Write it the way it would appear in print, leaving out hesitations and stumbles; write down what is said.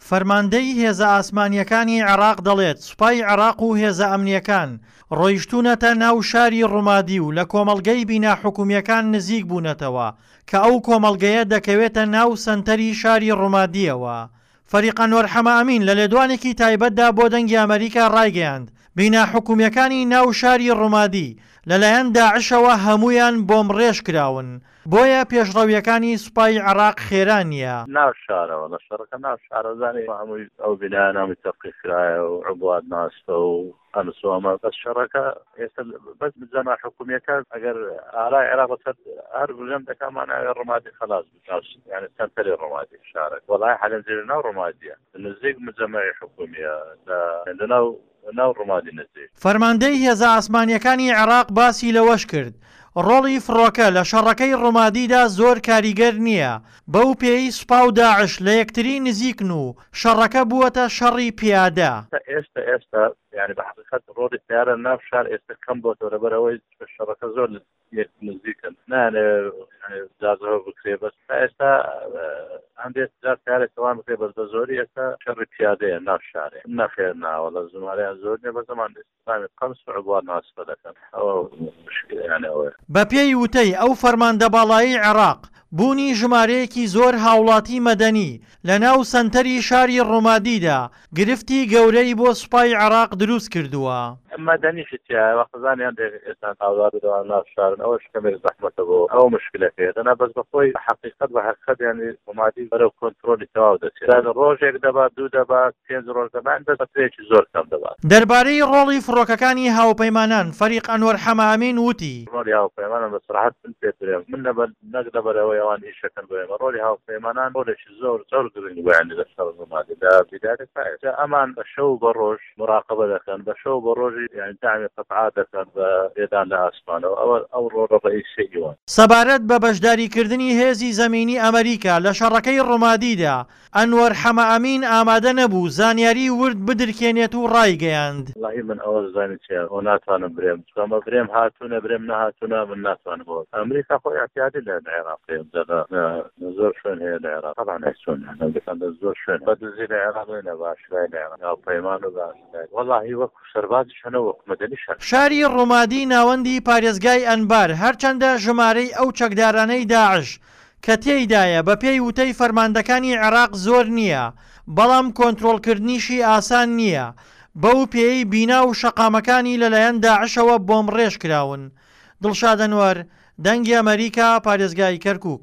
فەرماندەی هێزە ئاسمانییەکانی عێراق دەڵێت، سوپای عێراق و هێزە ئەمنییەکان ڕۆیشتوونەتە ناو شاری ڕومادی و لە کۆمەڵگەی بینا حکومییەکان نزیک بوونەتەوە کە ئەو کۆمەڵگەیە دەکەوێتە ناو سەنتەری شاری ڕومادییەوە. فەریق ئەنوەر حەمەئەمین لە لێدوانێکی تایبەتدا بۆ دەنگی ئەمەریکا ڕایگەیاند، بینا حکومییەکانی ناو شاری ڕومادی لەلایەن داعشەوە هەموویان بۆمبڕێژ کراون، بۆیە پێشڕەوییەکانی سوپای عێراق خێرا نییە. ناو شارەوە لە شەڕەکە ناو شارەوە زانی هەمووی ئەو بینایانە هەمووی تەفقیق کرایە و عبوات ناستە و ئەمس و ئەمە بەس شەڕەکە ئێستا بەس جەما حکومیەکە ئەگەر ئارای عێراق لەسەر هەر بژەم دەکا ماناوێ ڕمادی خەلاس یعنی سەنتەری ڕمادی شارەک وەڵای حەلەن زێر ناو ڕمادیە نزیک مجەمەعی حکومیە لە لەناو ناو ڕمادی نزیک. فەرماندەی هێزە ئاسمانییەکانی عێراق باسی لەوەشکرد، ڕۆڵی فڕۆکە لە شەڕەکەی ڕومادیدا زۆر کاریگەر نییە، بەو پێیەی سوپا و داعش لە یەکتری نزیکن و شەڕەکە بووەتە شەڕی پیادە. ئێستا ئێستا یانی بە حەقیقەت ڕۆڵی تەیارە ناو شار ئێستا کەم بۆتەوە لەبەر ئەوەی شەڕەکە زۆر یەک نزیکن نایانەوێ جازەوە بکرێ بەس تا ئێستا هەندێک جار تارێک تەوان بکرێ بەس بە زۆری ئێستا شەڕی پیادەیە ناو شارێ نەخێر ناوەڵە ژمارەیان زۆر نیە بە زەمان ئیسلامی قەمس و عبوات ناسبە دەکەن ئەوە مشکلەیان ئەوەیە. بەپێی وتەی ئەو فەرماندە باڵایەی عێراق، بوونی ژمارەیەکی زۆر هاوڵاتی مەدەنی لەناو سەنتەری شاری ڕومادیدا گرفتی گەورەی بۆ سوپای عێراق دروست کردووە. مەدەنیشی تیایە وەخزانی هەندێک ئێستا ئاوارە دەوان ناو شارن ئەوەش کەمێک زەحمەتە بۆ ئەوە مشکلەکەیە دەنا بەس بەخۆی حەقیقەت بە حەقیقەت یانی ڕومادی بەرەو کۆنترۆلی تەواو دەچێت ڕۆژێک دەبات دوو دەبات پێنج ڕۆژ دەبات بەس فترەیەکی زۆر کەم دەبات. دەربارەی ڕۆڵی فڕۆکەکانی هاوپەیمانان فەریق ئەنوەر حەمەئەمین وتی. ڕۆڵی هاوپەیمانان بە سەراحەت من پێت برێم من لەبەر نەک لەبەر ئەوەی ئەوان ئیشەکەن بۆ ئێمە ڕۆڵی هاوپەیمانان ڕۆڵێکی زۆر زۆر گرنگ بوو یانی لە شەڕ ڕومادی لە بیدایەتی تا ئێستا ئەمان بە شەو و بە ڕۆژ مراقەبە دەکەن بە شەو و بە ڕۆژی یانی دەعمی قەتعات دەکەن بە لێدان لە ئاسمانەوە ئەوە ئەو ڕۆڵە ڕەئیسیەی ئیوان. سەبارەت بە بەشداریکردنی هێزی زەمینی ئەمەریکا لە شەڕەکەی ڕومادیدا ئەنوەر حەمەئەمین ئامادە نەبوو زانیاری ورد بدرکێنێت و ڕایگەیاند. وەڵاهی من ئەوە زانی چیە ئەوە ناتوانم برێم چونکە ئەمە برێم هاتوونە برێم نەهاتوونە من ناتوانم ئەوە ئەمریکا خۆ ئیعتیادی لە عێراق هەیە جا لە زۆر شوێن هەیە لە عێراق تەبعەن چۆن ئەمریکا لە زۆر شوێن بە دزی لە عێراق نە بە ئاشکرای لە عێراق هاوپەیمان و بە ئاشکرای وەڵاهی وەکو سەربازیش هەنە وەکو مەدەنیش هەن. شاری ڕومادی ناوەندی پارێزگای ئەنبار هەرچەندە ژمارەی ئەو چەکدارانەی داعش کە تێیدایە بەپێی وتەی فەرماندەکانی عێراق زۆر نییە، بەڵام کۆنترۆڵکردنیشی ئاسان نییە، بەو پێیەی بینا و شەقامەکانی لەلایەن داعشەوە بۆمبڕێژکراون. دڵشاد ئەنوەر، دەنگی ئەمەریکا، پارێزگای کەرکوک.